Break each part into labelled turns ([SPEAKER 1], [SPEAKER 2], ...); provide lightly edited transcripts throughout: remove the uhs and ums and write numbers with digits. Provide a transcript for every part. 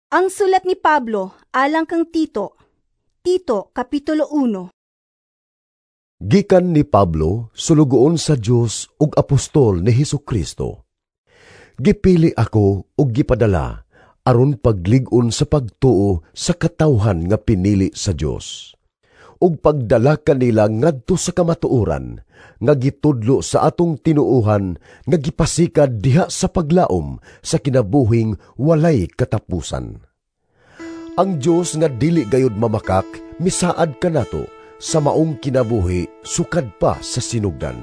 [SPEAKER 1] Ang sulat ni Pablo alang kang Tito. Tito, Kapitulo 1.
[SPEAKER 2] Gikan ni Pablo, sulugoon sa Dios ug apostol ni Hesukristo. Gipili ako ug gipadala aron paglig-on sa pagtuo sa katawhan nga pinili sa Dios, ug pagdala kanila ngadto sa kamatuoran nga gitudlo sa atong tinuohan nga gipasikad diha sa paglaom sa kinabuhing walay katapusan. Ang Dios nga dili gayud mamakak misaad kanato sa maong kinabuhi sukad pa sa sinugdan.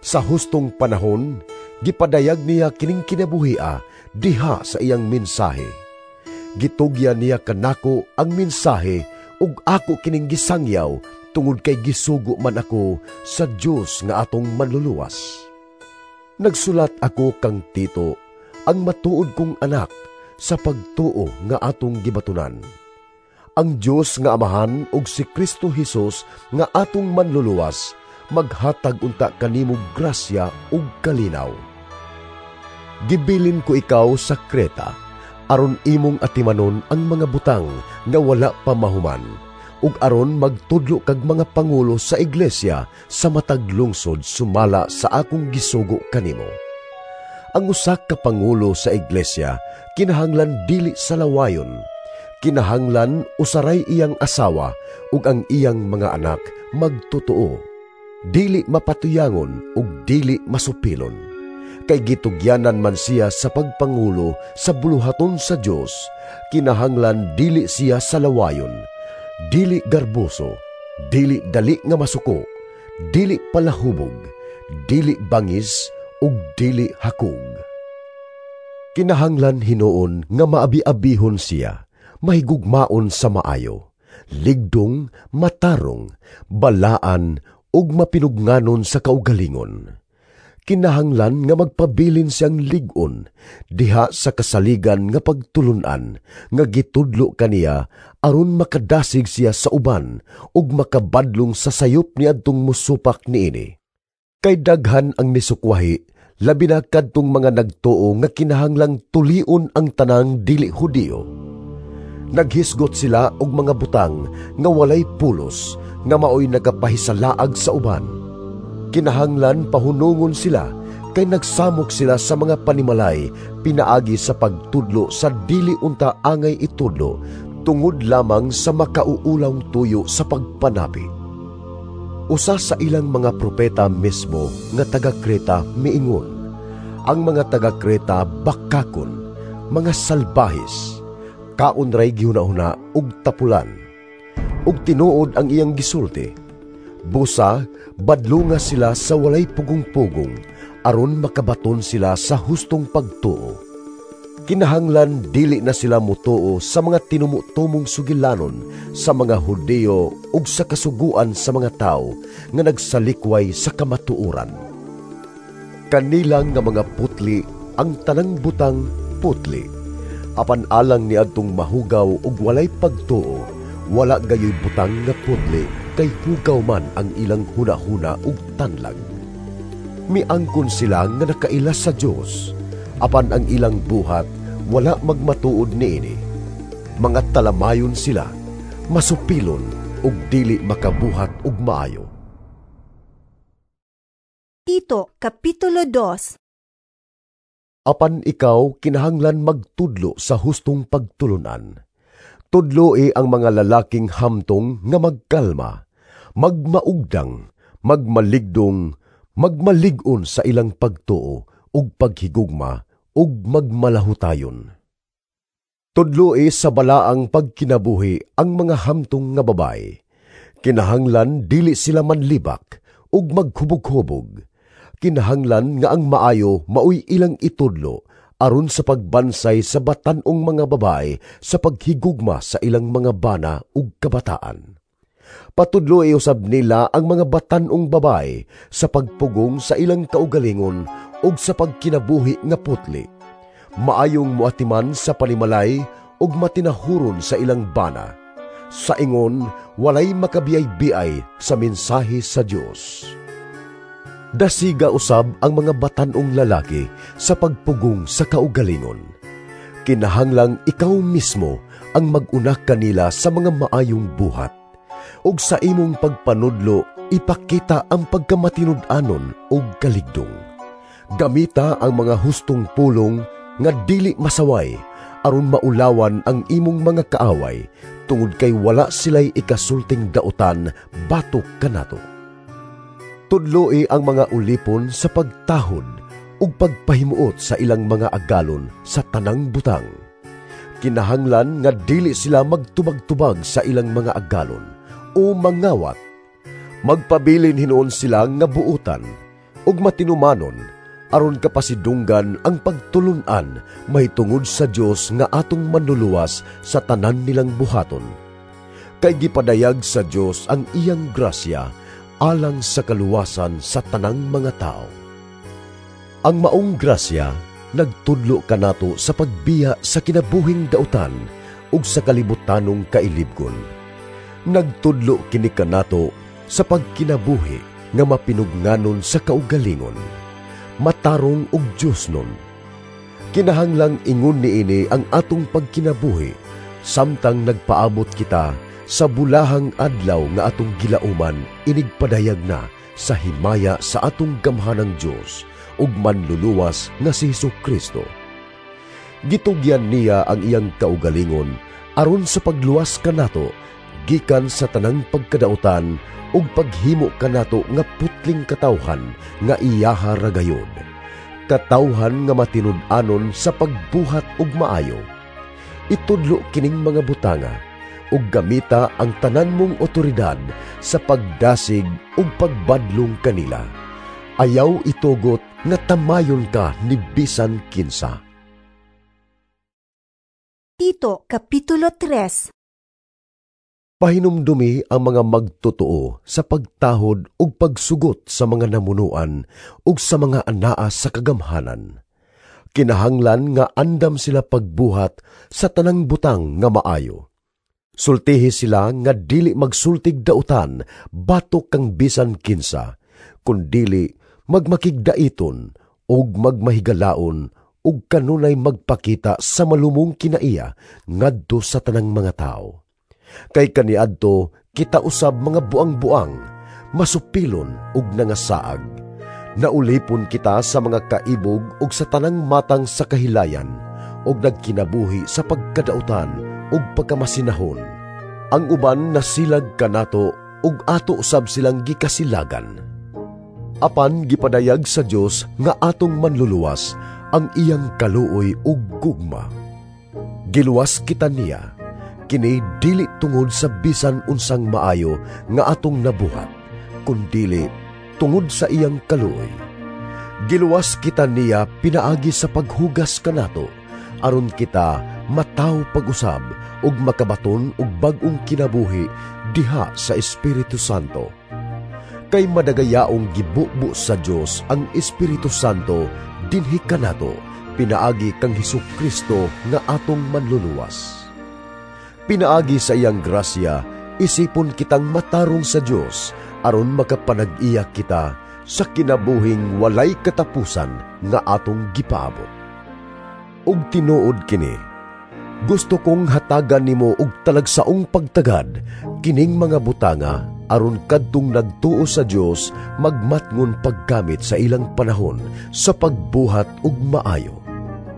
[SPEAKER 2] Sa hustong panahon gipadayag niya kining kinabuhia diha sa iyang mensahe. Gitugyan niya kanako ang mensahe ug ako kining gisangyaw tungod kay gisugo man ako sa Dios nga atong manluluwas. Nagsulat ako kang Tito, ang matuod kong anak, sa pagtuo nga atong gibatunan. Ang Dios nga Amahan ug si Kristo Hesus nga atong manluluwas maghatag unta kanimo grasya ug kalinaw. Gibilin ko ikaw sa Kreta aron imong atimanon ang mga butang nga wala pa mahuman, ug aron magtudlo kag mga pangulo sa iglesia sa matag lungsod sumala sa akong gisugo kanimo. Ang usa ka pangulo sa iglesia kinahanglan dili sa lawayon, kinahanglan usaray iyang asawa ug ang iyang mga anak magtotoo, dili mapatuyangon ug dili masupilon. Kay gitugyanan man siya sa pagpangulo sa buluhaton sa Dios, kinahanglan dili siya sa lawayon, dili garboso, dili dali nga masuko, dili palahubog, dili bangis, ug dili hakog. Kinahanglan hinuon nga maabi-abihon siya, mahigugmaon sa maayo, ligdong, matarong, balaan, ug mapinugnanon sa kaugalingon. Kinahanglan nga magpabilin siyang lig-on diha sa kasaligan nga pagtulun-an nga gitudlo kaniya aron makadasig siya sa uban ug makabadlong sa sayop niadtong musupak niini. Kay daghan ang misukwahi, labi na kadtong mga nagtuo nga kinahanglang tulion ang tanang dili Hudiyo. Naghisgot sila og mga butang nga walay pulos nga maoy nagapahisalaag sa uban. Kinahanglan pahunungon sila kay nagsamok sila sa mga panimalay pinaagi sa pagtudlo sa dili unta angay itudlo tungod lamang sa makauulawng tuyo sa pagpanapi. Usa sa ilang mga propeta mismo nga taga Kreta miingon, ang mga taga Kreta bakakon, mga salbahis, kaon ray gihuna-huna ug tapulan. Ug tinuod ang iyang gisulti. Busa, badlunga sila sa walay pugong-pugong, aron makabaton sila sa hustong pagtuo. Kinahanglan dili na sila mutuo sa mga tinumutumong sugilanon sa mga Hudiyo ug sa kasuguan sa mga tao nga nagsalikway sa kamatuoran. Kanilang nga mga putli ang tanang butang putli. Apan alang niadtong mahugaw ug walay pagtuo, wala gayoy butang nga putli kay hugaw man ang ilang hunahuna ug tanlag. Miangkon sila nga nakaila sa Dios, apan ang ilang buhat wala magmatuod niini. Mga talamayon sila, masupilon ug dili makabuhat og maayo.
[SPEAKER 1] Tito, Kapitulo 2.
[SPEAKER 2] Apan ikaw kinahanglan magtudlo sa hustong pagtulunan. Tudloi ang mga lalaking hamtong nga magkalma, magmaugdang, magmaligdong, magmalig-on sa ilang pagtuo ug paghigugma ug magmalahutayon. Tudloi sa balaang pagkinabuhi ang mga hamtong nga babae. Kinahanglan dili sila manlibak ug maghubog-hubog. Kinahanglan nga ang maayo maoy ilang itudlo aron sa pagbansay sa batan-ong mga babae sa paghigugma sa ilang mga bana ug kabataan. Patudloi usab nila ang mga batan-ong babae sa pagpugong sa ilang kaugalingon ug sa pagkinabuhi nga putli. Maayong muatiman sa panimalay ug matinahuron sa ilang bana. Sa ingon, walay makabiyay-biyay sa mensahe sa Dios. Dasiga usab ang mga batan-ong lalaki sa pagpugong sa kaugalingon. Kinahanglang ikaw mismo ang mag-una kanila sa mga maayong buhat, ug sa imong pagpanudlo ipakita ang pagkamatinud-anon ug kaligdong. Gamita ang mga hustong pulong nga dili masaway aron maulawan ang imong mga kaaway, tungod kay wala sila'y ikasulting dautan batok kanato. Tudloi ang mga ulipon sa pagtahod ug pagpahimuot sa ilang mga agalon sa tanang butang. Kinahanglan nga dili sila magtubag-tubag sa ilang mga agalon o mangawat. Magpabilin hinuon sila nga buutan ug matinumanon aron kapasidunggan ang pagtulun-an mahitungod sa Dios nga atong manluluwas sa tanan nilang buhaton. Kay gipadayag sa Dios ang iyang grasya alang sa kaluwasan sa tanang mga tao. Ang maong grasya nagtudlo kanato sa pagbiya sa kinabuhing dautan ug sa kalibutanong kailibgon. Nagtudlo kini kanato sa pagkinabuhi nga mapinugnanon sa kaugalingon, matarong ug Diosnon. Kinahanglang ingon niini ang atong pagkinabuhi samtang nagpaabot kita sa bulahang adlaw nga atong gilauman inigpadayag na sa himaya sa atong gamhanang Dios ug manluluwas nga si Hesukristo. Gitugyan niya ang iyang kaugalingon aron sa pagluwas kanato gikan sa tanang pagkadautan ug paghimo kanato nga putling katawhan nga iyaha ra gayod, katawhan nga matinud-anon sa pagbuhat og maayo. Itudlo kining mga butanga ug gamita ang tanan mong otoridad sa pagdasig ug pagbadlong kanila. Ayaw itugot nga tamayon ka ni bisan kinsa.
[SPEAKER 1] Tito, Kapitulo 3.
[SPEAKER 2] Pahinumdumi ang mga magtotoo sa pagtahod ug pagsugot sa mga namunuan ug sa mga anaa sa kagamhanan. Kinahanglan nga andam sila pagbuhat sa tanang butang nga maayo. Sultihi sila nga dili magsultig dautan batok kang bisan kinsa, kundili magmakigdaiton ug magmahigalaon ug kanunay magpakita sa malumong kinaiya ngadto sa tanang mga tao. Kay kaniadto kita usab mga buang-buang, masupilon ug nangasaag. Naulipon kita sa mga kaibog ug sa tanang matang sa kahilayan, ug nagkinabuhi sa pagkadautan ug pagkamasinahon. Ang uban nasilag kanato ug ato usab silang gikasilagan. Apan gipadayag sa Dios nga atong manluluwas ang iyang kaluoy ug gugma. Giluwas kita niya, kini dili tungod sa bisan unsang maayo nga atong nabuhat, kundili tungod sa iyang kaluoy. Giluwas kita niya pinaagi sa paghugas kanato, aron kita mataw pag-usab ug makabaton og bag-ong kinabuhi diha sa Espiritu Santo. Kay madagayaong gibubo sa Dios ang Espiritu Santo dinhi kanato pinaagi kang Hesukristo nga atong manluluwas. Pinaagi sa iyang grasya, isipon kitang matarong sa Dios aron makapanag-iya kita sa kinabuhing walay katapusan nga atong gipaabot. Ug tinuod kini, gusto kong hatagan nimo og talagsaong pagtagad kining mga butanga aron kadtong nagtuo sa Dios magmatngon paggamit sa ilang panahon sa pagbuhat og maayo.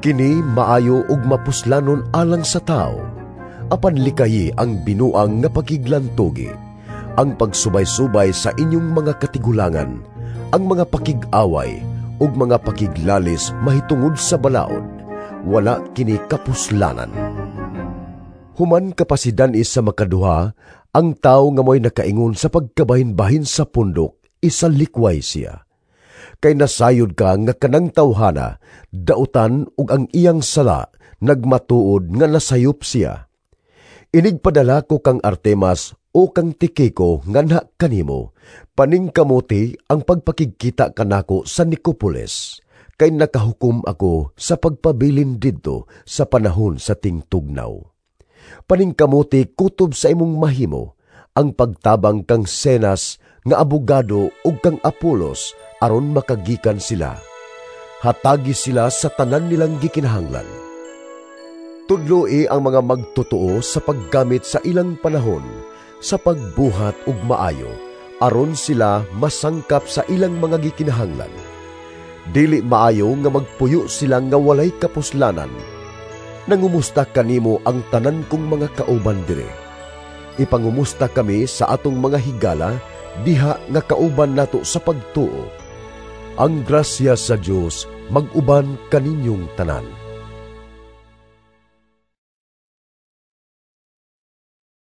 [SPEAKER 2] Kini maayo ug mapuslanon alang sa tao, apan likayi ang binuang nga pakiglantugi, ang pagsubay-subay sa inyong mga katigulangan, ang mga pakig-away ug mga pakiglalis mahitungod sa balaod. Wala kini kapuslanan. Human kapasidan is sa makaduha, ang tao nga mo'y nakaingon sa pagkabahin-bahin sa pundok, isalikway siya. Kay nasayod ka nga kanang tawhana, dautan ug ang iyang sala, nagmatuod nga nasayop siya. Inigpadala ko kang Artemas o kang Tikiko nga na kanimo, paningkamuti ang pagpakigkita kanako sa Nicopolis, kay nakahukom ako sa pagpabilin didto sa panahon sa tingtugnaw. Paningkamuti kutob sa imong mahimo ang pagtabang kang Senas nga abogado ug kang Apolos aron makagikan sila. Hatagi sila sa tanan nilang gikinahanglan. Tudloi ang mga magtotoo sa paggamit sa ilang panahon sa pagbuhat og maayo, aron sila masangkap sa ilang mga gikinahanglan. Dili maayo nga magpuyo sila nga walay kapuslanan. Nangumusta kanimo ang tanan kong mga kauban dire. Ipangumusta kami sa atong mga higala diha nga kauban nato sa pagtuo. Ang grasya sa Dios mag-uban kaninyong tanan.